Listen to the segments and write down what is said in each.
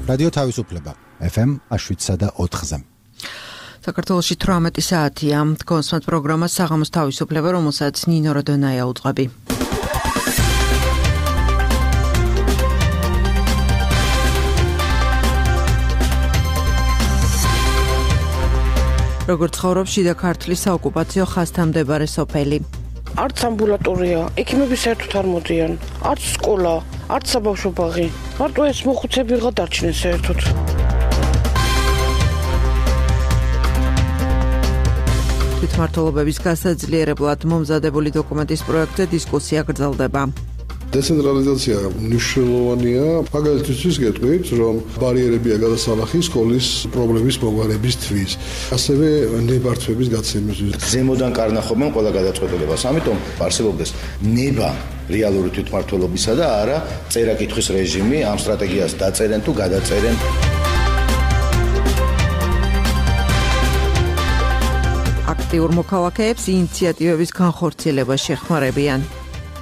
რადიო თავისუფლება FM 7.4-ზე. საქართველოში 18 საათია. კონსმათ პროგრამა საღამოს თავისუფლება, რომელსაც ნინო როდონაია უძღვები. როგორც ცხოვრობს შიდა ქართლის საოკუპაციო ხაზთან მდებარე სოფელი. არც ამბულატორია, ექიმები საერთოდ არ მოდიან, არც სკოლა, არც საბავშვო ბაღი. მარტო ეს მოხუცები ვიღა დარჩნენ საერთოდ. თვითმმართველობების გასაძლიერებლად მომზადებული დოკუმენტის პროექტზე დისკუსია გრძელდება. დეცენტრალიზაცია მნიშვნელოვანია, მაგალითისთვის გეტყვით, რომ ბარიერებია გადასალახი სკოლის პრობლემის მოგვარებისთვის, ასევე ნებართვების გაცემისთვის. ზემოდან კარნახობენ ყველა გადაწყვეტილებას, ამიტომ არსებობდეს ნება რეალური თვითმმართველობისა და არა წერა-კითხვის რეჟიმი, ამ სტრატეგიას დაწერენ თუ გადაწერენ. აქტიურ მოქალაქეებს ინიციატივების განხორციელება შეხმარებიან.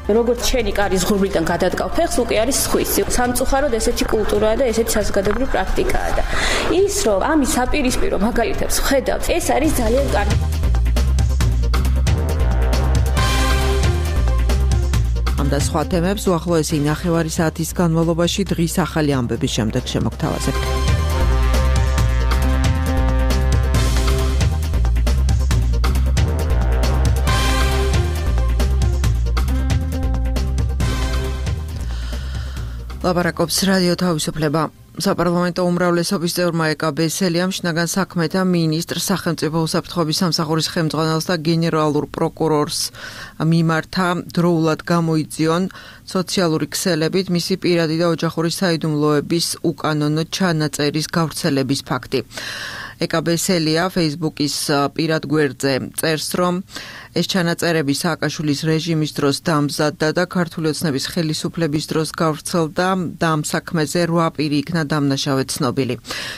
როგორც შენი კარის ღრუბლიდან გადადგავ ფეხს, უკვე არის სხვისი. სამწუხაროდ ესეთი კულტურაა და ესეთი საზოგადოებრივი პრაქტიკაა და ის რომ ამის საპირისპირო მაგალითებს ხედავთ, ეს არის ძალიან კარგი. ამ და სხვა თემებს უახლოესი 9 საათის განმავლობაში დღის ახალი ამბების შემდეგ შემოგთავაზებთ. ლაპარაკობს რადიო თავისუფლება. საპარლამენტო უმრავლესობის წევრმა ეკაბესელიამ შინაგან საქმეთა მინისტრ სახელმწიფო უსაფრთხოების სამსახურის ხელმძღვანელს და გენერალურ პროკურორს მიმართა დროულად გამოიძიონ სოციალური ქსელებით მისი პირადი და ოჯახური საიდუმლოების უკანონო ჩანაწერის გავრცელების ფაქტი. ეკაბესელია Facebook-ის პირად გვერდზე წერს, რომ ეს ჩანაწერები სააკაშვილის რეჟიმის დროს დამზადდა და ქართული ოცნების ხელისუფლების დროს გავრცელდა და ამ საქმეზე 8 პირი იქნა დამნაშავე ცნობილი.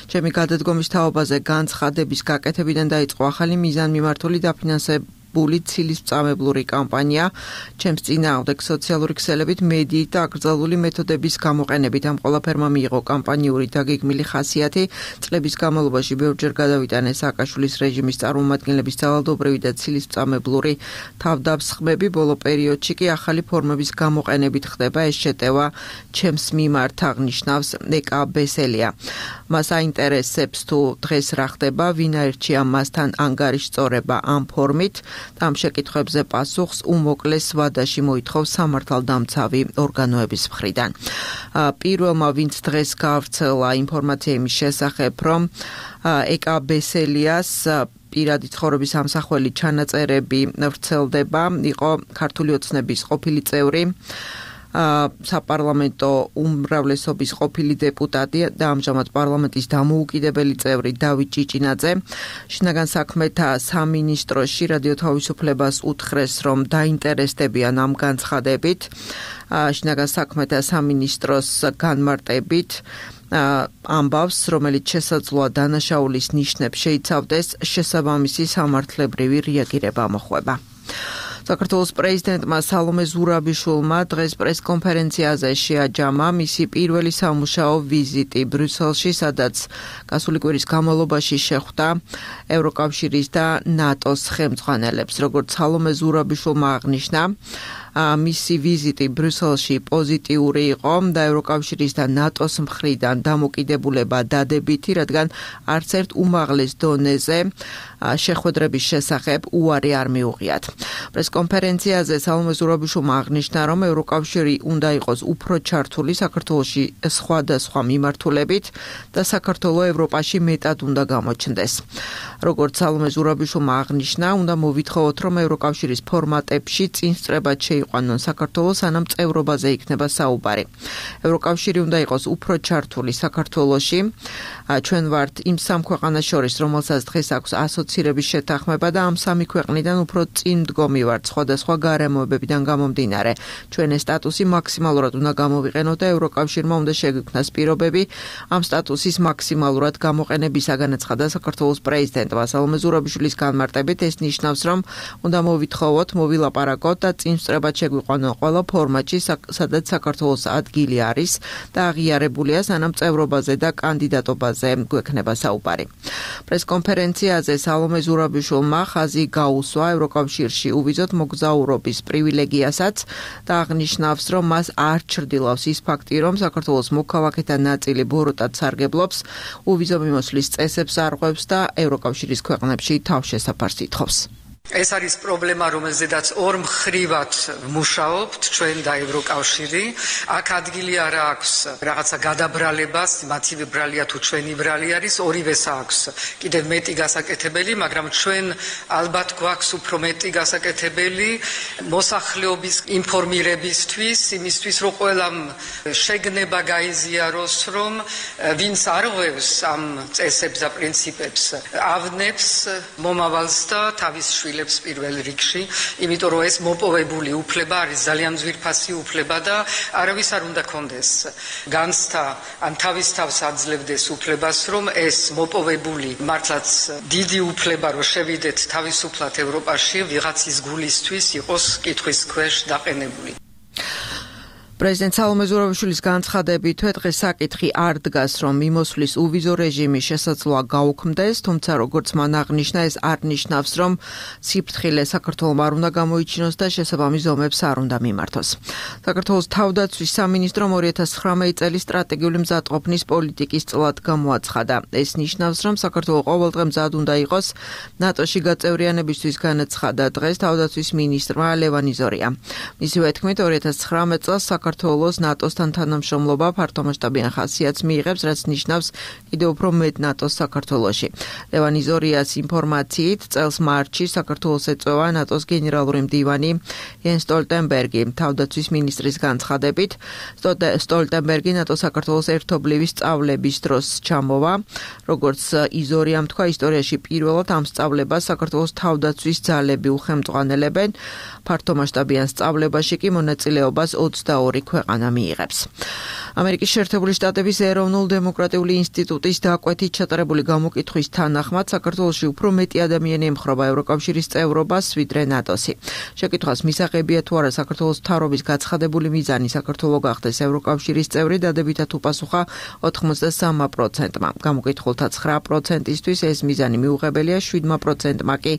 ჩემი გადადგომის თაობაზე განცხადების გაკეთებიდან დაიწყო ახალი მიზანმიმართული დაფინანსებული ცილისწამებლური კამპანია. ჩემს წინააღმდეგ სოციალური ქსელებით, მედიით და აკრძალული მეთოდების გამოყენებით ამ ყველაფერმა მიიღო კამპანიური დაგეგმილი ხასიათი. წლების განმავლობაში ბევრჯერ გადავიტანეს სააკაშვილის რეჟიმის წარმომადგენლების ძალადობრივი და ცილისწამებლური თავდამსხმები. ბოლო პერიოდში კი ახალი ფორმების გამოყენებით ხდება ეს შეტევა ჩემს მიმართ, აღნიშნავს ეკაბესელია. მას აინტერესებს თუ დღეს რა ხდება, ვინ აირჩია მასთან ანგარიშწორება ამ ფორმით. ამ შეკითხვებზე პასუხს უმოკლეს ვადაში მოითხოვს სამართალდამცავი ორგანოების მხრიდან. პირველმა ვინც დღეს გავრცელა ინფორმაცია იმის შესახებ, რომ ეკაბესელიას პირადი ცხოვრების ამსახველი ჩანაწერები ვრცელდება, იყო ქართული ოცნების ყოფილი წევრი, საპარლამენტო უმრავლესობის ყოფილი დეპუტატი და ამჟამად პარლამენტის დამოუკიდებელი წევრი დავით ჭიჭინაძე. შინაგან საქმეთა სამინისტროში რადიო თავისუფლებას უთხრეს, რომ დაინტერესდებიან ამ განცხადებით. შინაგან საქმეთა სამინისტროს განმარტებით ამბავს, რომელიც შესაძლოა დანაშაულის ნიშნებს შეიცავდეს, შესაბამისი სამართლებრივი რეაგირება მოხვება. საქართველოს პრეზიდენტმა სალომე ზურაბიშვილმა დღეს პრესკონფერენციაზე შეაჯამა მისი პირველი სამუშაო ვიზიტი ბრიუსელში, სადაც გასული კვირის განმავლობაში შეხვდა ევროკავშირის და ნატოს ხელმძღვანელებს. როგორც სალომე ზურაბიშვილმა აღნიშნა, მისი ვიზიტი ბრიუსელში პოზიტიური იყო და ევროკავშირის და ნატოს მხრიდან დამოკიდებულება დადებითი, რადგან არც ერთ უმაღლეს დონეზე შეხვედრების შესახებ უარი არ მიუღიათ. პრესკონფერენციაზე სალომე ზურაბიშვილმა აღნიშნა, რომ ევროკავშირი უნდა იყოს უფრო ჩართული საქართველოში სხვადასხვა მიმართულებით და საქართველო ევროპაში მეტად უნდა გამოჩნდეს. როგორც სალომე ზურაბიშვილმა აღნიშნა, უნდა მოვითხოვოთ, რომ ევროკავშირის ფორმატებში წინსწრებად შეიყვანონ საქართველოს, სანამ წევრობაზე იქნება საუბარი. ევროკავშირი უნდა იყოს უფრო ჩართული საქართველოში. ჩვენ ვართ იმ სამ ქვეყანას შორის, რომელსაც დღეს აქვს ასოცირების შეთანხმება და ამ სამი ქვეყნიდან უფრო წინ მდგომი ვართ სხვადასხვა გარემოებებიდან გამომდინარე. ჩვენ ეს სტატუსი მაქსიმალურად უნდა გამოვიყენოთ და ევროკავშირმა უნდა შეგვიქმნას პირობები ამ სტატუსის მაქსიმალურად გამოყენებისაგან, აცხადა საქართველოს პრეზიდენტმა. სალომე ზურაბიშვილის განმარტებით ეს ნიშნავს, რომ უნდა მოვითხოვოთ, მოვილაპარაკოთ და წინსწრება შეხვედრებად შეგვიყვანონ ყველა ფორმატში, სადაც საქართველოს ადგილი არის და აღიარებულია, სანამ წევრობაზე და კანდიდატობაზე გვექნება საუბარი. პრესკონფერენციაზე სალომე ზურაბიშვილმა ხაზი გაუსვა ევროკავშირში უვიზოდ მოგზაურობის პრივილეგიასაც და აღნიშნავს, რომ მას არ ჩრდილავს ის ფაქტი, რომ საქართველოს მოქალაქეთა ნაწილი ბოროტად სარგებლობს, უვიზო მიმოსვლის წესებს არღვევს და ევროკავშირის ქვეყნებში თავშესაფარს ითხოვს. ეს არის პრობლემა, რომელზედაც ორ მხრივად მუშაობთ ჩვენ და ევროკავშირი. აქ ადგილი არ აქვს რაღაცა გადაბრალებას, მათი ბრალია თუ ჩვენი ბრალი არის, ორივეს აქვს კიდევ მეტი გასაკეთებელი, მაგრამ ჩვენ ალბათ გვაქვს უფრო მეტი გასაკეთებელი მოსახლეობის ინფორმირებისთვის, იმისთვის, რომ ყველამ შეგნება გაიზიაროს, რომ ვინც არღვევს ამ წესებს და პრინციპებს, ავნებს მომავალს და თავის პირველ რიგში, იმიტომ რომ ეს მოპოვებული უფლება არის ძალიან ძვირფასი უფლება და არავის არ უნდა კონდეს განცდა ან თავის თავს აძლევდეს უფლებას, რომ ეს მოპოვებული მართლაც დიდი უფლება, რომ შევიდეთ თავისუფლად ევროპაში, ვიღაცის გულისთვის იყოს კითხვის ქვეშ დაყენებული. პრეზიდენტ სალომე ზურაბიშვილის განცხადებით, დღეს საკითხი არ დგას, რომ მიმოსვლის უვიზო რეჟიმის შესაძლოა გაუქმდეს, თუმცა როგორც მან აღნიშნა, ეს არ ნიშნავს, რომ სიფრთხილე საქართველოს არ უნდა გამოიჩინოს და შესაბამის ზომებს არ უნდა მიმართოს. საქართველოს თავდაცვის სამინისტრომ 2019 წლის სტრატეგიული მზადყოფნის პოლიტიკის წლად გამოაცხადა. ეს ნიშნავს, რომ საქართველოს ყოველდღე მზად უნდა იყოს ნატოში გაწევრიანებისთვის განაცხადა დღეს თავდაცვის მინისტრმა ლევან იზორია. მისივე თქმით, 2019 წელს საქართველოს ნატოსთან თანამშრომლობა ფართომასშტაბიან ხასიათს მიიღებს, რაც ნიშნავს კიდევ უფრო მეტ ნატოს საქართველოში. ლევან იზორიას ინფორმაციით, წელს მარტში საქართველოს ეწევა ნატოს გენერალური მდივანი იენს სტოლტენბერგი. თავდაცვის მინისტრის განცხადებით, სტოლტენბერგი ნატო-საქართველოს ერთობლივი სწავლების დროს ჩამოვა. როგორც იზორიამ თქვა, ისტორიაში პირველად ამ სწავლებას საქართველოს თავდაცვის ძალები უხელმძღვანელებენ. ფართომასშტაბიან სწავლებაში კი მონაწილეობას 22 ქვეყანა მიიღებს. ამერიკის შეერთებული შტატების ეროვნულ-დემოკრატიული ინსტიტუტის დაკვეთით ჩატარებული გამოკითხვის თანახმად საქართველოში უფრო მეტი ადამიანი ემხრობა ევროკავშირის წევრობას, ვიდრე ნატოსი. შეკითხვას მისაღებია თუ არა საქართველოს მთავრობის გაცხადებული მიზანი საქართველო გახდეს ევროკავშირის წევრი, დადებითად უპასუხა 83%-მა. გამოკითხულთა 9%-ისთვის ეს მიზანი მიუღებელია, 7%-მა კი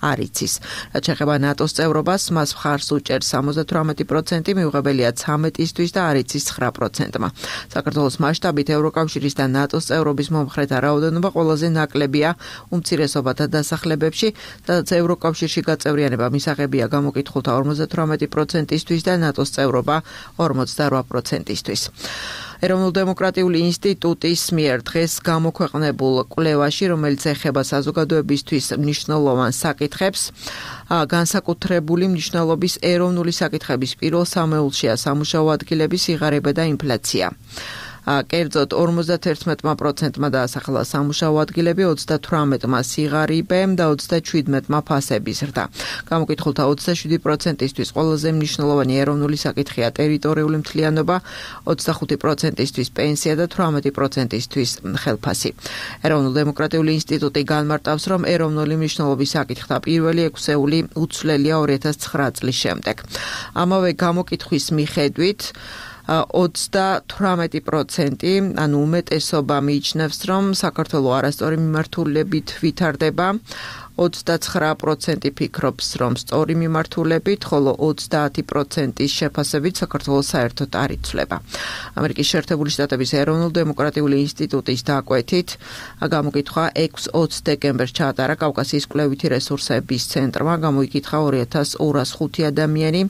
არ იცის. რაც შეეხება ნატოს წევრობას, მას მხარს უჭერს 78%, მიუღებელია 13-ისთვის და არ იცის 9%-მა. საქართველოს მასშტაბით ევროკავშირის და ნატოს წევრობის მომხრეთა რაოდენობა ყველაზე ნაკლებია უმცირესობათა დასახლებებში, სადაც ევროკავშირში გაწევრიანება მისაღებია გამოკითხულთა 58%-ისთვის და ნატოს წევრობა 48%-ისთვის. ეროვნულ-დემოკრატიული ინსტიტუტის მიერ დღეს გამოქვეყნებულ კვლევაში, რომელიც ეხება საზოგადოებისთვის მნიშვნელოვან საკითხებს, განსაკუთრებული მნიშვნელობის ეროვნული საკითხების პირველ სამეულშია სამუშაო ადგილების სიღარიბე და ინფლაცია. კერძოდ 51%-მა დაასახელა სამუშაო ადგილები, 38%-მა სიღარიბე და 27%-მა ფასების ზრდა. გამოკითხულთა 27%-ისთვის ყველაზე მნიშვნელოვანი ეროვნული საკითხია ტერიტორიული მთლიანობა, 25%-ისთვის პენსია და 18%-ისთვის ხელფასი. ეროვნულ-დემოკრატიული ინსტიტუტი განმარტავს, რომ ეროვნული მნიშვნელობის საკითხთა პირველი 6-ეული უცვლელია 2009 წლის შემდეგ. ამავე გამოკითხვის მიხედვით 38%, ანუ უმეტესობა მიიჩნევს, რომ საქართველოს არასწორი მიმართულებით ვითარდება. 29% ფიქრობს, რომ სწორი მიმართულებით, ხოლო 30%-ის შეფასებით საქართველოს საერთოდ არ იცვლება. ამერიკის შეერთებული შტატების ეროვნულ-დემოკრატიული ინსტიტუტის დაკვეთით, გამოკითხვა 6-20 დეკემბერს ჩაატარა კავკასიის კვლევითი რესურსების ცენტრმა, გამოიკითხა 2205 ადამიანი,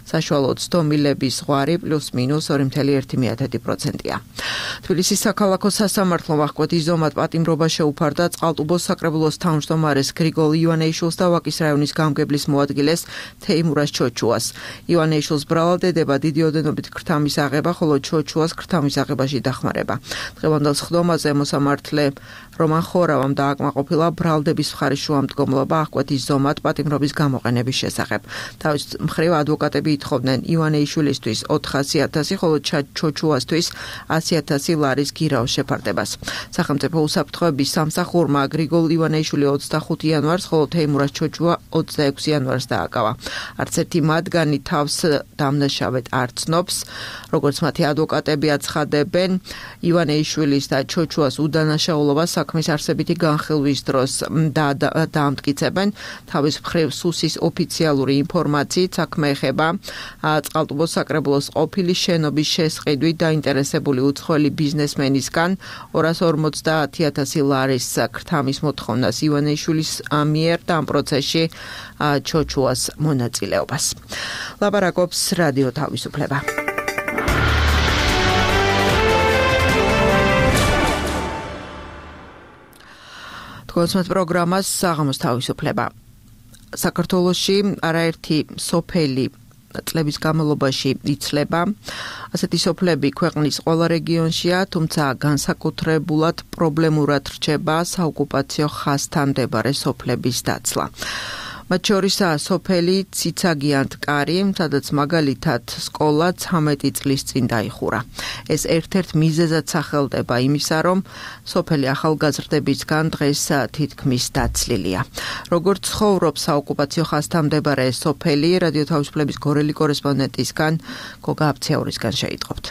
საშუალოდ სტომილების ზღვარი +-2.1%-ია. თბილისის საქალაქო სასამართლომ აღკვეთის ზომად პატიმრობა შეუფარდა წყალტუბოს საკრებულოს თავმჯდომარეს ივანეიშვილს და ვაკის რაიონის გამგებლის მოადგილეს თეიმურას ჩოჩუას. ივანეიშვილს ბრალად ედება დიდი ოდენობით ქრთამის აღება, ხოლო ჩოჩუას ქრთამის აღებაში დახმარება. დღევანდელ სხდომაზე მოსამართლე რომან ხორავამ დააკმაყოფილა ბრალდების მხარის შუამდგომლობა აღკვეთის ზომად პატიმრობის გამოყენების შესახებ. თავის მხრივ ადვოკატები ითხოვდნენ ივანეიშვილისთვის 400.000, ხოლო ჩოჩუასთვის 100.000 ლარის გირაოს შეფარდებას. სახელმწიფო უსაფრთხოების სამსახურმა გრიგოლ ივანეიშვილი 25 იანვარს, ხოლო თეიმურაზ ჩოჩუა 26 იანვარს დააკავა. არც ერთი მათგანი თავს დამნაშავედ არ ცნობს, როგორც მათი ადვოკატები აცხადებენ, ივანეიშვილის და ჩოჩუას უდანაშაულობას საქმის არსებითი განხილვის დროს დაამტკიცებენ. თავის მხრივ სუსის ოფიციალური ინფორმაციით საქმე ეხება წყალტუბოს საკრებულოს ყოფილი შენობის შესყიდვით დაინტერესებული უცხოელი ბიზნესმენისგან 250,000 ლარის ქრთამის მოთხოვნას ივანეიშვილის მიერ და ამ პროცესში ჩოჩუას მონაწილეობას. ლაპარაკობს რადიო თავისუფლება. კონსმეთ პროგრამას საღამოს თავისუფლება. საქართველოში არაერთი სოფელი წლების განმავლობაში იცლება. ასეთი სოფლები ქვეყნის ყველა რეგიონშია, თუმცა განსაკუთრებულად პრობლემურად რჩება საოკუპაციო ხაზთან მდებარე სოფლების დაცლა. მათ შორისაა სოფელი ციცაგიანთკარი, სადაც მაგალითად სკოლა 13 წლის წინ დაიხურა. ეს ერთ-ერთ მიზეზად სახელდება იმისა, რომ სოფელი ახალგაზრდებისგან დღეს თითქმის დაცლილია. როგორც ცხოვრობს საოკუპაციო ხაზთან მდებარე სოფელი, რადიო თავისუფლების გორელი კორესპონდენტისგან გოგა აბცეურისგან შეიტყობთ.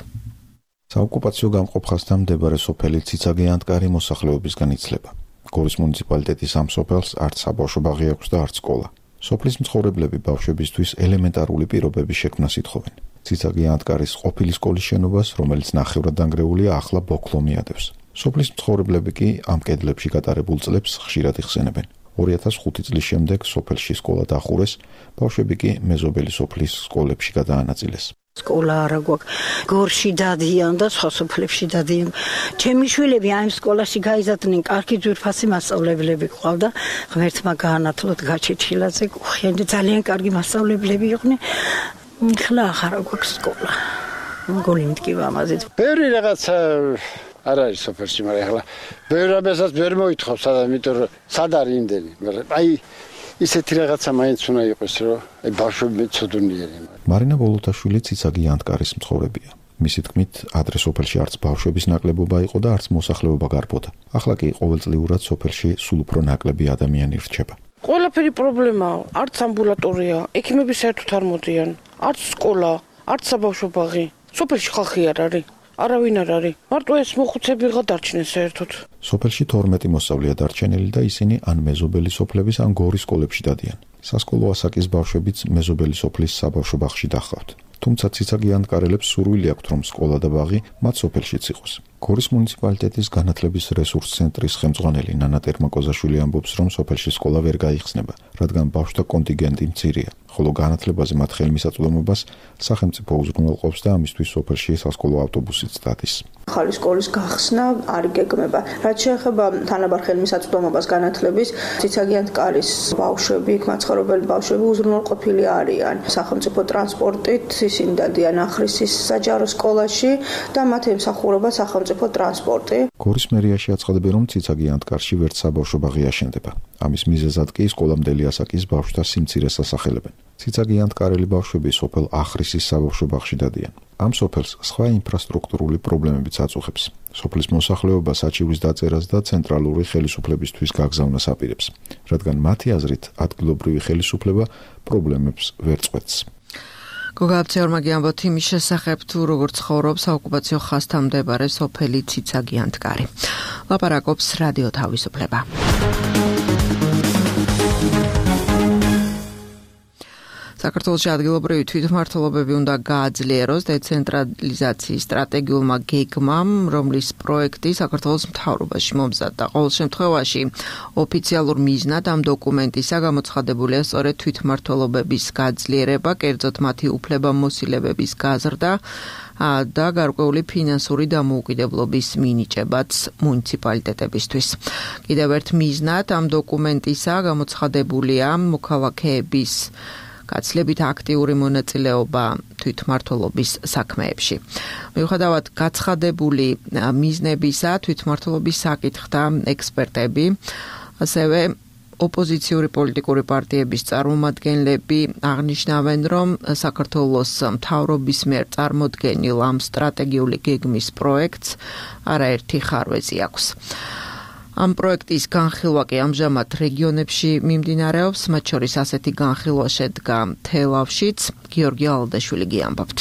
საოკუპაციო გამყოფ ხაზთან მდებარე სოფელი ციცაგიანთკარი მოსახლეობისგან იცლება. გორის მუნიციპალიტეტის ამ სოფელს არც საბავშვო ბაღი აქვს და არც სკოლა. სოფლის მცხოვრებლები ბავშვებისთვის ელემენტარული პირობების შექმნას ითხოვენ. ციცაგიანთკარის ყოფილი სკოლის შენობას, რომელიც ნახევრად დანგრეულია, ახლა ბოქლომი ადევს. სოფლის მცხოვრებლები კი ამ კედლებში გატარებულ წლებს ხშირად იხსენებენ. 2005 წლის შემდეგ სოფელში სკოლა დახურეს, ბავშვები კი მეზობელი სოფლის სკოლებში გადაანაწილეს. სკოლა არა გვაქვს. გორში დადიან და სხვა სოფლებში დადიან. ჩემი შვილები ამ სკოლაში გაიზარდნენ, კარგი ძვირფასი მასწავლებლები ყავდა. ღმერთმა გაანათლოთ გაჩეჩილაძე, ხენდა ძალიან კარგი მასწავლებლები იყვნენ. ხლა ახლა გვაქვს სკოლა. მგონი მткиვა ამაზე. ბევრი რაღაცა არ არის სოფელში, მაგრამ ახლა ბევრი რამესაც ვერ მოითხოვს ადამიანი, იმიტომ რომ სად არის იმდენი, მაგრამ აი ისეთი რაღაცა მაინც უნდა იყოს, რომ აი ბავშვები მეცოდუნიერი. მარინა ბოლოტაშვილი ციცაგიანთკარის მცხოვრებია. მისი თქმით, ადრე სოფელში არც ბავშვების ნაკლებობა იყო და არც მოსახლეობა გარბოდა. ახლა კი ყოველწლიურად სოფელში სულ უფრო ნაკლები ადამიანი რჩება. ყველაფერი პრობლემაა, არც ამბულატორია, ექიმები საერთოდ არ მოდიან, არც სკოლა, არც საბავშვო ბაღი. სოფელში ხალხი არ არის. არავინ არ არის. მარტო ეს მოხუცები გადარჩნენ საერთოდ. სოფელში 12 მოსწავლეა დარჩენილი და ისინი ან მეზობელი სოფლების, ან გორის სკოლებში დადიან. სასკოლო ასაკის ბავშვებიც მეზობელი სოფლის საბავშვო ბაღში დახავთ. თუმცა ციცაგიანთკარელებს სურვილი აქვთ, რომ სკოლა და ბაღი მათ სოფელშიც იყოს. გორის მუნიციპალიტეტის განათლების რესურს ცენტრის ხელმძღვანელი ნანა ტერმაკოზაშვილი ამბობს, რომ სოფელში სკოლა ვერ გაიხსნება, რადგან ბავშვთა კონტინგენტი მცირეა, ხოლო განათლებაზე მათ ხელმისაწვდომობას სახელმწიფო უზრუნველყოფს და ამისთვის სოფელში სასკოლო ავტობუსიც დადის. ახალი სკოლის გახსნა არ იგეგმება. რაც შეეხება თანაბარ ხელმისაწვდომობას განათლების, ციცაგიანთკარის ბავშვები, მაცხოვრებელი ბავშვები უზრუნველყოფილი არიან სახელმწიფო ტრანსპორტით, ისინი დადიან ახრისის საჯარო სკოლაში და მათ ემსახურება სახელმწიფო ტრანსპორტი. გორის მერიაში აცხადებენ, რომ ციცაგიანთკარში ვერც საბავშვო ბაღი აშენდება. ამის მიზეზად კი სკოლამდელი ასაკის ბავშვთა სიმცირეს ასახელებენ. ციცაგიანთკარელი ბავშვები სოფელ ახრისის საბავშვო ბაღში დადიან. ამ სოფელს სხვა ინფრასტრუქტურული პრობლემებიც აწუხებს. სოფლის მოსახლეობა საჩივრის დაწერას და ცენტრალური ხელისუფლებისთვის გაგზავნას აპირებს, რადგან მათი აზრით ადგილობრივი ხელისუფლება პრობლემებს ვერ წყვეტს. გოგა აბცეურმა გიამბოთ იმის შესახებ, თუ როგორ ცხოვრობს საოკუპაციო ხაზთან მდებარე სოფელი ციცაგიანთკარი. ლაპარაკობს რადიო თავისუფლება. საქართველოში ადგილობრივი თვითმმართველობები უნდა გააძლიეროს დეცენტრალიზაციის სტრატეგიულმა გეგმამ, რომლის პროექტი საქართველოს მთავრობაში მომზადდა. ყოველ შემთხვევაში ოფიციალურ მიზნად ამ დოკუმენტისა გამოცხადებულია სწორედ თვითმმართველობების გაძლიერება, კერძოდ მათი უფლებამოსილებების გაზრდა და გარკვეული ფინანსური დამოუკიდებლობის მინიჭებაც მუნიციპალიტეტებისთვის. კიდევ ერთ მიზნად ამ დოკუმენტისა გამოცხადებულია მოქალაქეების გაცლებით აქტიური მონაწილეობა თვითმმართველობის საქმეებში. მიუხედავად გაცხადებული მიზნებისა, თვითმმართველობის საკითხთა ექსპერტები, ასევე ოპოზიციური პოლიტიკური პარტიების წარმომადგენლები აღნიშნავენ, რომ საქართველოს მთავრობის მიერ წარმოდგენილ ამ სტრატეგიული გეგმის პროექტს არაერთი ხარვეზი აქვს. ამ პროექტის განხილვა კი ამჟამად რეგიონებში მიმდინარეობს, მათ შორის ასეთი განხილვა შედგა თელავშიც. გიორგი ალდაშვილი გიამბობთ.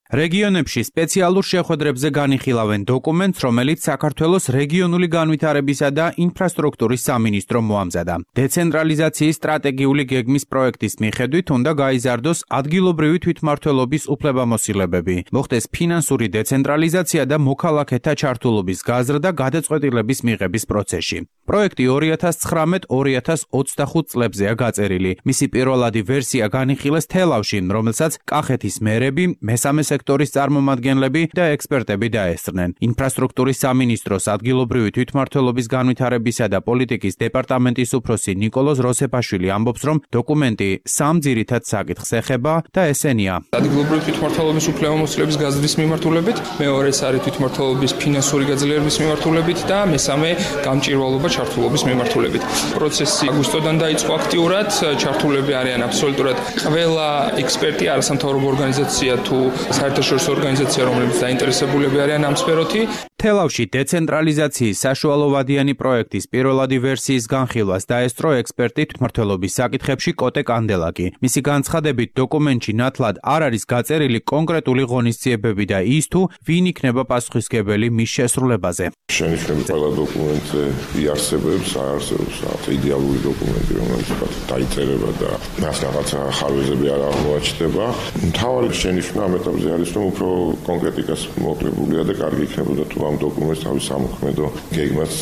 რეგიონებში სპეციალურ შეხვედრებზე განიხილავენ დოკუმენტს, რომელიც საქართველოს რეგიონული განვითარებისა და ინფრასტრუქტურის სამინისტრომ მოამზადა. დეცენტრალიზაციის სტრატეგიული გეგმის პროექტის მიხედვით უნდა გაიზარდოს ადგილობრივი თვითმმართველობის უფლებამოსილებები, მოხდეს ფინანსური დეცენტრალიზაცია და მოქალაქეთა ჩართულობის გაზრდა გადაწყვეტილების მიღების პროცესში. პროექტი 2019-2025 წლებზეა გაწერილი. მისი პირველადი ვერსია განიხილეს თელავში, რომელსაც კახეთის მერები, მესამე სექტორის წარმომადგენლები და ექსპერტები დაესწრნენ. ინფრასტრუქტურის სამინისტროს ადგილობრივი თვითმმართველობის განვითარებისა და პოლიტიკის დეპარტამენტის უფროსი ნიკოლოზ როსეფაშვილი ამბობს, რომ დოკუმენტი სამ ძირითად საკითხს ეხება და ესენია: ადგილობრივი თვითმმართველობის უფლებამოსილების გაზრდის მიმართულებით, მეორე ეს არის თვითმმართველობის ფინანსური გაძლიერების მიმართულებით და მესამე გამჭირვალობა ჩართულობის მიმართულებით. პროცესი აგვისტოდან დაიწყო აქტიურად, ჩართულები არიან აბსოლუტურად ყველა ექსპერტი, არასამთავრობო ორგანიზაცია თუ საერთაშორისო ორგანიზაცია, რომლებიც დაინტერესებულები არიან ამ სფეროთი. თელავში დეცენტრალიზაციის საშუალოვადიანი პროექტის პირველადი ვერსიის განხილვას დაესწრო ექსპერტი თვითმმართველობის საკითხებში კოტე კანდელაკი. მისი განცხადებით, დოკუმენტში ნათლად არ არის გაწერილი კონკრეტული ღონისძიებები და ის თუ ვინ იქნება პასუხისმგებელი მის შესრულებაზე. შენიშვნები ყველა დოკუმენტზე იარსებებს, აარსებებს იდეალური დოკუმენტი, რომელიც დაიწერება და მას რაღაცა ხარვეზები არ აღმოაჩნდება. მთავარი შენიშვნა ამ ეტაპზე არის, რომ უფრო კონკრეტიკას მოკლებულია და კარგი იქნებოდა თუ ამ დოკუმენტს თავის სამოქმედო გეგმას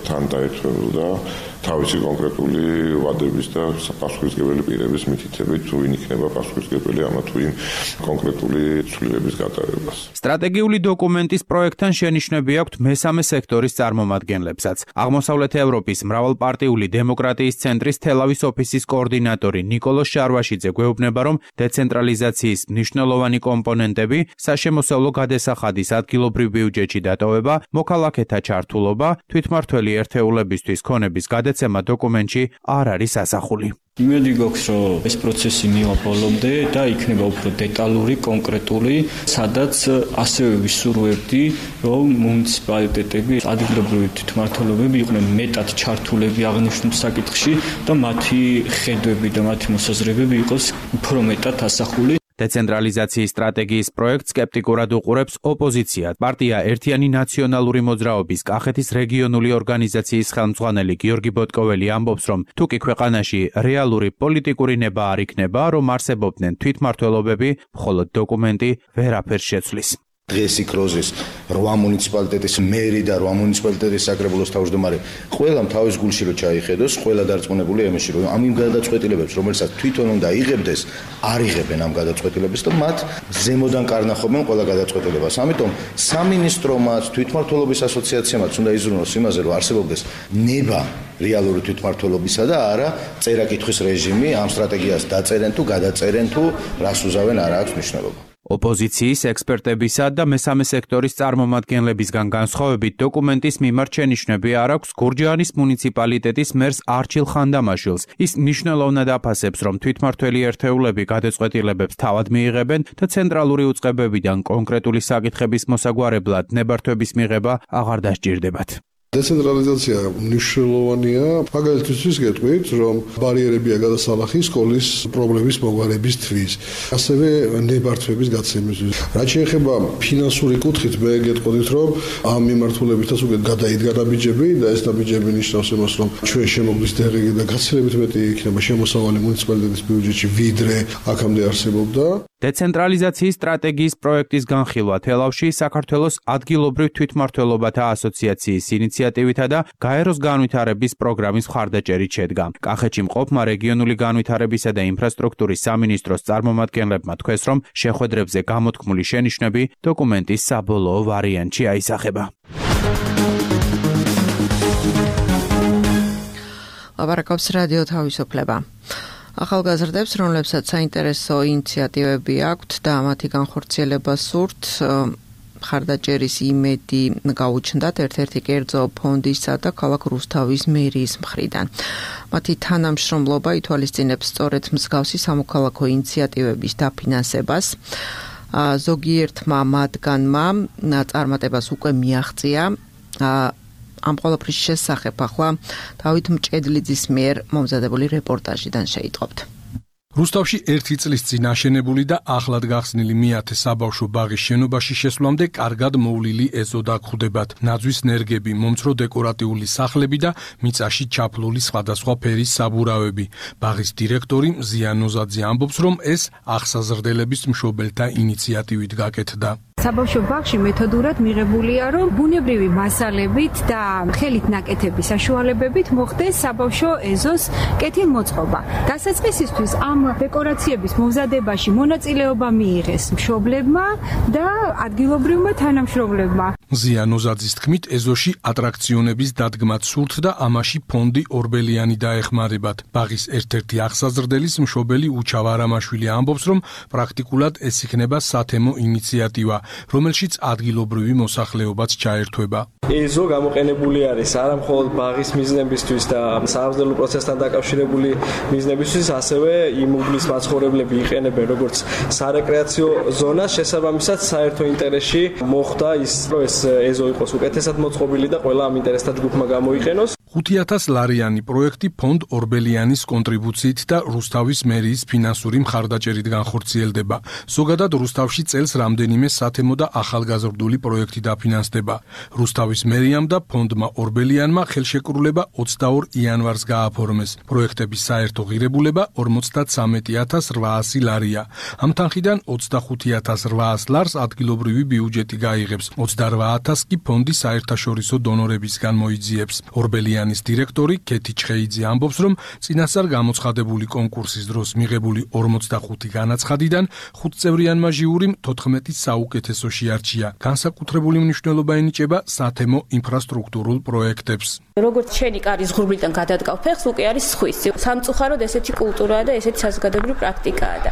თან დაერთვებოდა თავისი კონკრეტული ვადების და პასუხისმგებელი პირების მითითებით, თუ ვინ იქნება პასუხისმგებელი ამა თუ იმ კონკრეტული ცვლილების გატარებას. სტრატეგიული დოკუმენტის პროექტთან შენიშვნები აქვთ მესამე სექტორის წარმომადგენლებსაც. აღმოსავლეთ ევროპის მრავალპარტიული დემოკრატიის ცენტრის თელავის ოფისის კოორდინატორი ნიკოლოზ შარვაშიძე გვეუბნება, რომ დეცენტრალიზაციის მნიშვნელოვანი კომპონენტები, საშემოსავლო გადასახადის ადგილობრივ ბიუჯეტში დატოვება, მოქალაქეთა ჩართულობა, თვითმმართველი ერთეულებისთვის ქონების გადაცემა დოკუმენტში არ არის ასახული. იმედი გვაქვს, რომ ეს პროცესი მივა ბოლომდე და იქნება უფრო დეტალური, კონკრეტული, სადაც ასევე ვისურვებდი, რომ მუნიციპალიტეტები, ადგილობრივი თვითმმართველობები იყვნენ მეტად ჩართულები აღნიშნულ საკითხში და მათი ხედვები და მათი მოსაზრებები იყოს უფრო მეტად ასახული. დეცენტრალიზაციის სტრატეგიის პროექტს სკეპტიკურად უყურებს ოპოზიცია. პარტია ერთიანი ნაციონალური მოძრაობის კახეთის რეგიონული ორგანიზაციის ხელმძღვანელი გიორგი ბოტკოველი ამბობს, რომ თუკი ქვეყანაში რეალური პოლიტიკური ნება არ იქნება, რომ არსებობდნენ თვითმმართველობები, მხოლოდ დოკუმენტი ვერაფერს შეცვლის. დღეს იქროზის 8 მუნიციპალიტეტის მერი და 8 მუნიციპალიტეტის საკრებულოს თავმჯდომარე ყველამ თავის გულში რო ჩაიხედოს, ყველა დარწმუნებულია იმაში, რომ ამ იმ გადაწყვეტილებებს, რომელსაც თვითონ უნდა იღებდეს, არ იღებენ ამ გადაწყვეტილებას და მათ ზემოდან კარნახობენ ყველა გადაწყვეტილებას. ამიტომ სამინისტრომაც, თვითმმართველობის ასოციაციამაც უნდა იზრუნოს იმაზე, რომ არსებობდეს ნება რეალური თვითმმართველობისა და არა წერა-კითხვის რეჟიმი, ამ სტრატეგიას დაწერენ თუ გადაწერენ თუ რას უზავენ, არ აქვს მნიშვნელობა. ოპოზიციის ექსპერტებისა და მესამე სექტორის წარმომადგენლებისგან განსხვავებით დოკუმენტის მიმართ შენიშვნები არ აქვს გურჯაანის მუნიციპალიტეტის მერს არჩილ ხანდამაშვილს. ის მნიშვნელოვნად აფასებს, რომ თვითმმართველი ერთეულები გადაწყვეტილებებს თავად მიიღებენ და ცენტრალური უწყებებიდან კონკრეტული საკითხების მოსაგვარებლად ნებართვების მიღება აღარ დასჭირდებათ. დეცენტრალიზაცია მნიშვნელოვანია, მაგალითად ის გეტყვით, რომ ბარიერებია გადასალახი სკოლის პრობლემის მოგვარებისთვის, ასევე ნებართვების გაცემისთვის. რაც შეეხება ფინანსური კუთხით, მე გეტყოდით, რომ ამ მიმართულებითაც უკვე გადაიდგა დაბიჯები და ეს დაბიჯები ნიშნავს იმას, რომ ჩვენ შემოგდის დეღი და გაცილებით მეტი იქნება შემოსავალი მუნიციპალიტეტის ბიუჯეტში, ვიდრე აქამდე არსებობდა. დეცენტრალიზაციის სტრატეგიის პროექტის განხილვა თელავში საქართველოს ადგილობრივ თვითმმართველობათა ასოციაციის ინიციატივითა და გაეროს განვითარების პროგრამის მხარდაჭერით შედგა. კახეთში მყოფმა რეგიონული განვითარებისა და ინფრასტრუქტურის სამინისტროს წარმომადგენლებმა თქვეს, რომ შეხვედრებზე გამოთქმული შენიშვნები დოკუმენტის საბოლოო ვარიანტში აისახება. ლაპარაკობს რადიო თავისუფლება. ახალგაზრდებს, რომლებსაც საინტერესო ინიციატივები აქვთ და მათი განხორციელება სურთ, მხარდაჭერის იმედი გაუჩნდათ ერთ-ერთი კერძო ფონდისა და ქალაქ რუსთავის მერიის მხრიდან. მათი თანამშრომლობა ითვალისწინებს სწორედ მსგავსი სამოქალაქო ინიციატივების დაფინანსებას. ზოგიერთმა მათგანმა წარმატებას უკვე მიაღწია. ამ ყველაფრის შესახებ ახლა დავით მჭედლიძის მიერ მომზადებული რეპორტაჟიდან შეიტყობთ. რუსთავში 1 წლის წინ აშენებული და ახლად გახსნილი მეათე საბავშვო ბაღის შენობაში შესვლამდე კარგად მოვლილი ეზო დაგხვდებათ. ნაძვის ნერგები, მომცრო დეკორატიული სახლები და მიწაში ჩაფლული სხვადასხვა ფერის საბურავები. ბაღის დირექტორი მზია ნოზაძე ამბობს, რომ ეს აღსაზრდელების მშობელთა ინიციატივით გაკეთდა. საბავშვო ბაღში მეთოდურად მიღებულია, რომ ბუნებრივი მასალებით და ხელით ნაკეთების საშუალებებით მოხდეს საბავშვო ეზოს კეთილმოწყობა. დასაწყისისთვის ამ დეკორაციების მომზადებაში მონაწილეობა მიიღეს მშობლებმა და ადგილობრივმა თანამშრომლებმა. მზია ნოზაძის თქმით, ეზოში ატრაქციონების დადგმაც სურთ და ამაში ფონდი ორბელიანი დაეხმარებათ. ბაღის ერთ-ერთი აღსაზრდელის მშობელი უჩავ არამაშვილი ამბობს, რომ პრაქტიკულად ეს იქნება სათემო ინიციატივა, რომელშიც ადგილობრივი მოსახლეობაც ჩაერთვება. ეზო გამოყენებული არის არა მხოლოდ ბაღის მიზნებისთვის და სამზადო პროცესთან დაკავშირებული მიზნებისთვის, ასევე იმ უბნის მაცხოვრებლები იყენებენ როგორც სარეკრეაციო ზონას, შესაბამისად საერთო ინტერესში მოხდა ის, რომ ეს ეზო იყოს უკეთესად მოწყობილი და ყველა ამ ინტერესთა ჯგუფმა გამოიყენოს. 5,000 ლარიანი პროექტი ფონდ ორბელიანის კონტრიბუციით და რუსთავის მერიის ფინანსური მხარდაჭერით განხორციელდება. ზოგადად რუსთავში წელს რამდენიმე სათემო და ახალგაზრდული პროექტი დაფინანსდება. რუსთავის მერიამ და ფონდმა ორბელიანმა ხელშეკრულება 22 იანვარს გააფორმეს. პროექტების საერთო ღირებულება 53,800 ლარია. ამ თანხიდან 25,800 ლარს ადგილობრივი ბიუჯეტი გაიღებს, 28,000 კი ფონდი საერთაშორისო დონორებისგან მოიძიებს. ორბელიანი დირექტორი კეთი ჩხეიძე ამბობს, რომ წინასწარ გამოცხადებული კონკურსის დროს მიღებული 45 განაცხადიდან 5 წევრიანმა ჟიურიმ 14 საუკეთესო შეარჩია. განსაკუთრებული მნიშვნელობა ენიჭება სათემო ინფრასტრუქტურულ პროექტებს. როგორც შენი კარის ღრუბლიდან გადადგავ ფეხს, უკვე არის სხვისი. სამწუხაროდ ესეთი კულტურაა და ესეთი საზოგადოებრივი პრაქტიკაა და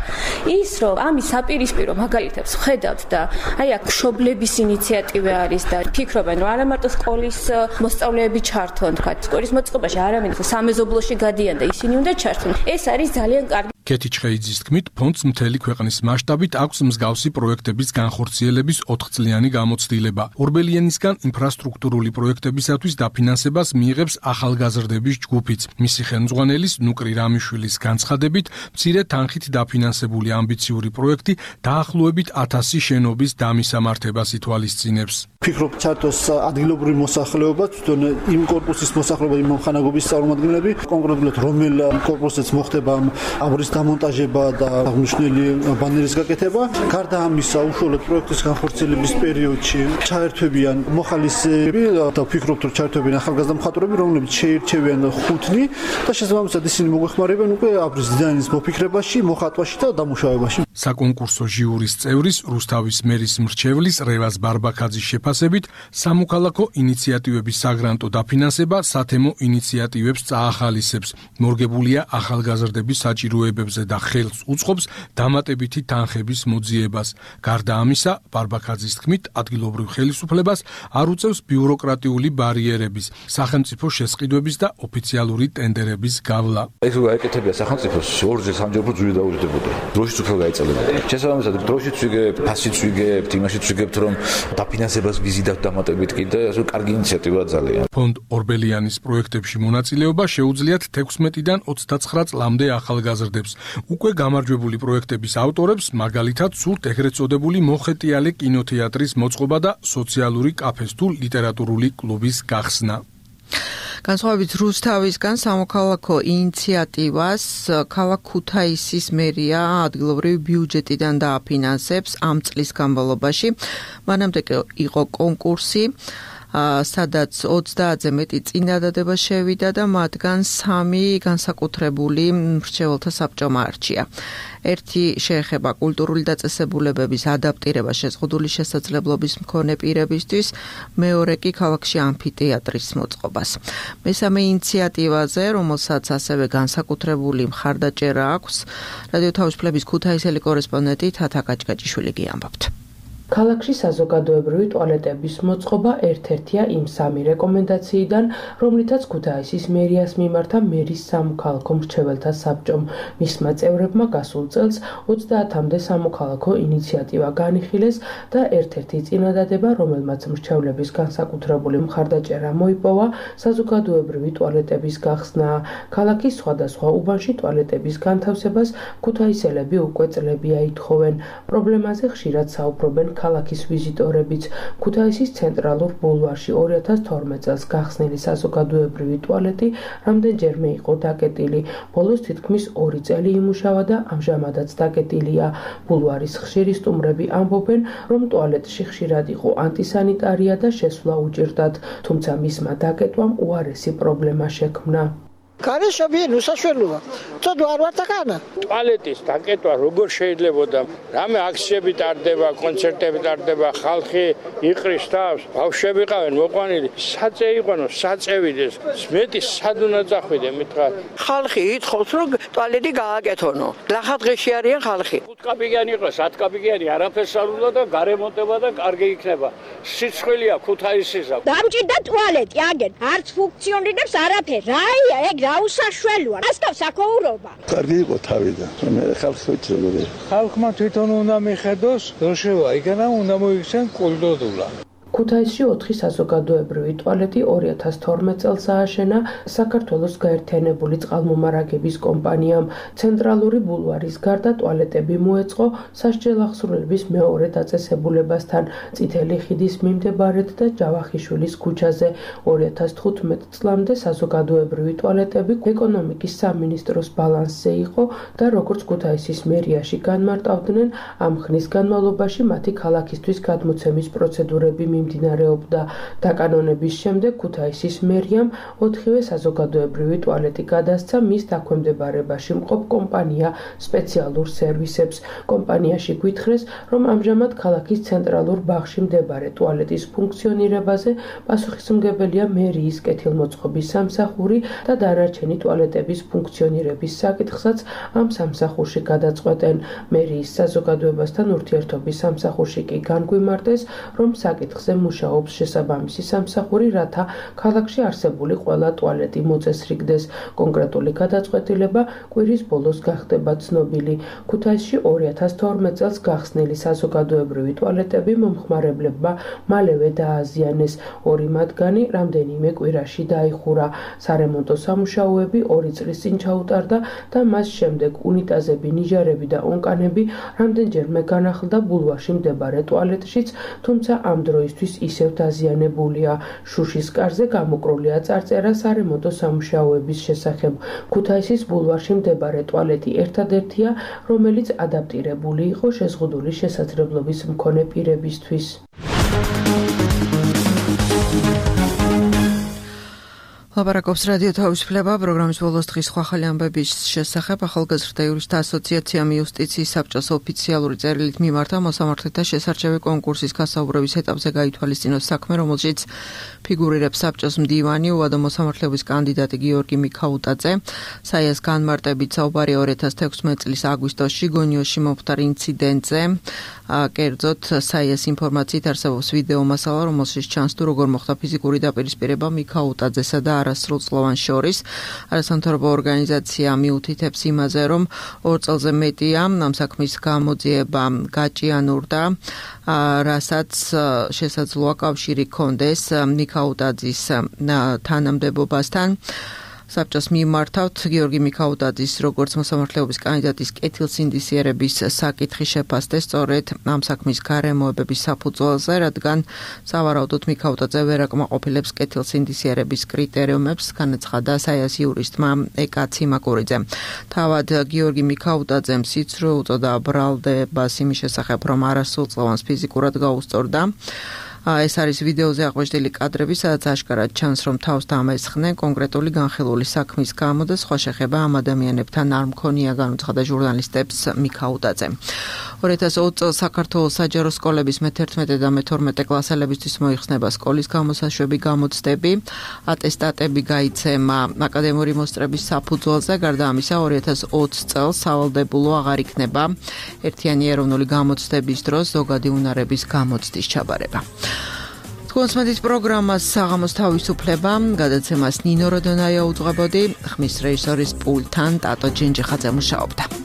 ის რომ ამის საპირისპირო მაგალითებს ხედავთ და აი აქ მშობლების ინიციატივა არის და ფიქრობენ, რომ არა მარტო სკოლის მოსწავლეები ჩართონ, თქვა სკოლის მოწყობაში არამედ სამეზობლოში გადიან და ისინი უნდა ჩართონ. ეს არის ძალიან კარგი. კეთი ჩხეიძის თქმით, ფონდს მთელი ქვეყნის მასშტაბით აქვს მსგავსი პროექტების განხორციელების 4-წლიანი გამოცდილება. ორბელიანისგან ინფრასტრუქტურული პროექტებისათვის დაფინანსებას მიიღებს ახალგაზრდების ჯგუფიც. მისი ხელმძღვანელის ნუკრი რამიშვილის განცხადებით, მცირე თანხით დაფინანსებული ამბიციური პროექტი დაახლოებით 1000 შენობის დამისამართებას ითვალისწინებს. ფიქრობ ჩართოს ადგილობრივი მოსახლეობა, თვითონ იმ კორპუსის მოსახლეობა, იმ ხანაგობის წარმომადგენლები, კონკრეტულად რომელ კორპუსზეც მოხდება აბრის დამონტაჟება და აღნიშნული ბანერის გაკეთება. გარდა ამისა, უშუალოდ პროექტის განხორციელების პერიოდში ჩაერთვებიან მოხალისეები და ფიქრობთ, რომ ჩაერთვებიან ახალგაზრდა მხატვრები, რომლებიც შეირჩევიან ხუთნი და შესაბამისად ისინი მოგვეხმარებიან უკვე აბრის დიზაინის მოფიქრებაში, მოხატვაში და დამუშავებაში. საკონკურსო ჟიურის წევრის რუსთავის მერის მრჩევლის რევაზ ბარბაქაძის შეფასებით, სამოქალაქო ინიციატივების საგრანტო დაფინანსება სათემო ინიციატივებს წაახალისებს. მორგებულია ახალგაზრდების საჭიროებებზე და ხელს უწყობს დამატებითი თანხების მოძიებას. გარდა ამისა, ბარბაქაძის თქმით, ადგილობრივ ხელისუფლებას არ უწევს ბიუროკრატიული ბარიერების, სახელმწიფო შესყიდვების და ოფიციალური ტენდერების გავლა. ეს რო გაეკეთებია სახელმწიფოს, ორჯერ სამჯერ ჯური დაუჯდებოდა. დროშიც უფრო გაეწელებოდა. შესაბამისად, დროშიც ვიგებთ, ფასიც ვიგებთ, იმაშიც ვიგებთ, რომ დაფინანსებას ვიზიდავთ დამატებით კი და ეს კარგი ინიციატივაა ძალიან. ფონდ ორბელიანის პროექტებში მონაწილეობა შეუძლიათ 16-დან 29 წლამდე ახალგაზრდებს. უკვე გამარჯვებული პროექტების ავტორებს მაგალითად სურთ ეგრეთ წოდებული მოხეტიალე კინოთეატრის მოწყობა და სოციალური კაფეს თუ ლიტერატურული კლუბის გახსნა. განსხვავებით რუსთავისგან სამოქალაქო ინიციატივას ქალაქ ქუთაისის მერია ადგილობრივი ბიუჯეტიდან დააფინანსებს ამ წლის განმავლობაში. მანამდე იყო კონკურსი, სადაც 30-ზე მეტი წინადადება შევიდა და მათგან 3 განსაკუთრებული მრჩეველთა საბჭომ აარჩია. ერთი შეეხება კულტურული დაწესებულებების ადაპტირება შეზღუდული შესაძლებლობის მქონე პირებისთვის, მეორე კი ქალაქში ამფითეატრის მოწყობას. მესამე ინიციატივაზე, რომელსაც ასევე განსაკუთრებული მხარდაჭერა აქვს, რადიო თავისუფლების ქუთაისელი კორესპონდენტი თათა კაჭკაჭიშვილი გიამბობთ. ქალაქში საზოგადოებრივი ტუალეტების მოწყობა ერთ-ერთია იმ 3 რეკომენდაციიდან, რომლითაც ქუთაისის მერიას მიმართა მერის სამოქალაქო მრჩეველთა საბჭომ. მისმა წევრებმა გასულ წელს 30-მდე სამოქალაქო ინიციატივა განიხილეს და ერთ-ერთი წინადადება, რომელმაც მრჩევლების განსაკუთრებული მხარდაჭერა მოიპოვა, საზოგადოებრივი ტუალეტების გახსნაა. ქალაქის სხვადასხვა უბანში ტუალეტების განთავსებას ქუთაისელები უკვე წლებია ითხოვენ. პრობლემაზე ხშირად საუბრობენ ქალაქის ვიზიტორებიც. ქუთაისის ცენტრალურ ბულვარში 2012 წელს გახსნილი საზოგადოებრივი ტუალეტი რამდენჯერმე იყო დაკეტილი. ბოლოს თითქმის 2 წელი იმუშავა და ამჟამადაც დაკეტილია. ბულვარის ხშირი სტუმრები ამბობენ, რომ ტუალეტში ხშირად იყო ანტისანიტარია და შესვლა უჭირდათ, თუმცა მისმა დაკეტვამ უარესი პრობლემა შექმნა. Განეშობიენ უსაშველოა. წოდვა არ ვარ თქანა. ტუალეტის დაკეტვა როგორ შეიძლებოდა? რამე აქციები ტარდება, კონცერტები ტარდება, ხალხი იყრის თავს, ბავშვები ყავენ მოყვანილი. საწე იყანო, საწევიდეს. მეტი სად უნდა წახვიდე მითხრა. ხალხი ითხოვს, რომ ტუალეტი გააკეთონო. ლახადღეში არიან ხალხი. 5 კაპიკიანი იყოს, 10 კაპიკიანი, არაფერს არ უნდა და გარემონტება და კარგი იქნება. სიცხვილეა ქუთაისისა. დამჭირდა ტუალეტი აგენ, არც ფუნქციონირებს არაფერი. რაია ეგ უსაშველოა. ასკავ საქოურობა. კარგი იყო თავიდან. მე ხალხს ვეჭრობდი. ხალხმა თვითონ უნდა მიხედოს, დროშევა იქნა უნდა მოიქცენ კულტურა. ქუთაისში 4 საზოგადოებრივი ტუალეტი 2012 წელს ააშენა საქართველოს გაერთიანებული წყალმომარაგების კომპანიამ. ცენტრალური ბულვარის გარდა ტუალეტები მოეწყო სასჯელ აღსრულების მეორე დაწესებულებასთან, წითელი ხიდის მიმდებარედ და ჯავახიშვილის ქუჩაზე. 2015 წლამდე საზოგადოებრივი ტუალეტები ეკონომიკის სამინისტროს ბალანსზე იყო და როგორც ქუთაისის მერიაში განმარტავდნენ, ამ ხნის განმავლობაში მათი ქალაქისთვის გადმოცემის პროცედურები მიმდინარეობდა. დაკანონების შემდეგ ქუთაისის მერიამ 4-ვე საზოგადოებრივი ტუალეტი გადასცა მის დაქვემდებარებაში მყოფ კომპანია სპეციალურ სერვისებს. კომპანიაში გვითხრეს, რომ ამჟამად ქალაქის ცენტრალურ ბაღში მდებარე ტუალეტის ფუნქციონირებაზე პასუხისმგებელია მერიის კეთილმოწყობის სამსახური და დანარჩენი ტუალეტების ფუნქციონირების საკითხსაც ამ სამსახურში გადაწყვეტენ. მერიის საზოგადოებასთან ურთიერთობის სამსახურში კი განგვიმარტეს, რომ საკითხზე მუშაობს შესაბამისი სამსახური, რათა ქალაქში არსებული ყველა ტუალეტი მოწესრიგდეს. კონკრეტული გადაწყვეტილება კვირის ბოლოს გახდება ცნობილი. ქუთაისში 2012 წელს გახსნილი საზოგადოებრივი ტუალეტები მომხმარებლებმა მალევე დააზიანეს. 2 მათგანი რამდენიმე კვირაში დაიხურა. სარემონტო სამუშაოები 2 წლის წინ ჩაუტარდა და მას შემდეგ უნიტაზები, ნიჟარები და ონკანები რამდენჯერმე განახლდა ბულვარში მდებარე ტუალეტშიც, თუმცა ამ დროისთვის ისევ დაზიანებულია. შუშის კარზე გამოკრულია წარწერა სარემონტო სამუშაოების შესახებ. ქუთაისის ბულვარში მდებარე ტუალეტი ერთადერთია, რომელიც ადაპტირებული იყო შეზღუდული შესაძლებლობის მქონე პირებისთვის. ლაპარაკობს რადიო თავისუფლება პროგრამის ბოლოს დღის სხვა ახალი ამბების შესახებ. ახალგაზრდა იურისტთა ასოციაციამ იუსტიციის საბჭოს ოფიციალური წერილით მიმართა მოსამართლეთა შესარჩევი კონკურსის გასაუბრების ეტაპზე გაითვალისწინოს საქმე, რომელშიც ფიგურირებს საბჭოს მდივანი, უვადო მოსამართლეობის კანდიდატი გიორგი მიქაუტაძე. საიას განმარტებით საუბარი 2016 წლის აგვისტოში გონიოში მომხდარ ინციდენტზე. კერძოდ საიას ინფორმაციით არსებობს ვიდეო მასალა, რომელშიც ჩანს თუ როგორ მოხდა ფიზიკური დაპირისპირება მიქაუტაძესა და არასრულწლოვან შორის. არასამთავრობო ორგანიზაცია მიუთითებს იმაზე, რომ 2 წელზე მეტია ამ საქმის გამოძიება გაჭიანურდა, რასაც შესაძლოა კავშირი ჰქონდეს მიქაუტაძის თანამდებობასთან. საბჭოს მიმართავთ გიორგი მიქაუტაძის როგორც მოსამართლეობის კანდიდატის კეთილსინდისიერების საკითხი შეფასდეს სწორედ ამ საქმის გარემოებების საფუძველზე, რადგან სავარაუდოდ მიქაუტაძე ვერ აკმაყოფილებს კეთილსინდისიერების კრიტერიუმებს, განაცხადა საიას იურისტმა ეკა ციმაკურიძე. თავად გიორგი მიქაუტაძემ სიცრუე უწოდა ბრალდებას იმის შესახებ, რომ არასრულწლოვანს ფიზიკურად გაუსწორდა. ეს არის ვიდეოზე აღვეშდილი კადრები, სადაც აშკარად ჩანს, რომ თავს დამესხნენ კონკრეტული განხილული საქმის გამო და სხვა შეხება ამ ადამიანებთან არ მქონია, განუცხადა ჟურნალისტებს მიქაუდაძე. 2020 წელს საქართველოს საჯარო სკოლების მე-11 და მე-12 კლასელებისთვის მოიხსნება სკოლის გამოსაშვები გამოცდები, ატესტატები გაიცემა აკადემიური მოსწრების საფუძველზე, გარდა ამისა 2020 წელს სავალდებულო აღარ იქნება ერთიანი ეროვნული გამოცდების დროს ზოგადი უნარების გამოცდის ჩაბარება. თქვენს მედიის პროგრამას საღამოს თავისუფლება, გადაცემას ნინო როდონაია უძღვებოდი, ხმის რეჟისორის პულტთან ტატო ჯინჯიხაძე მუშაობდა.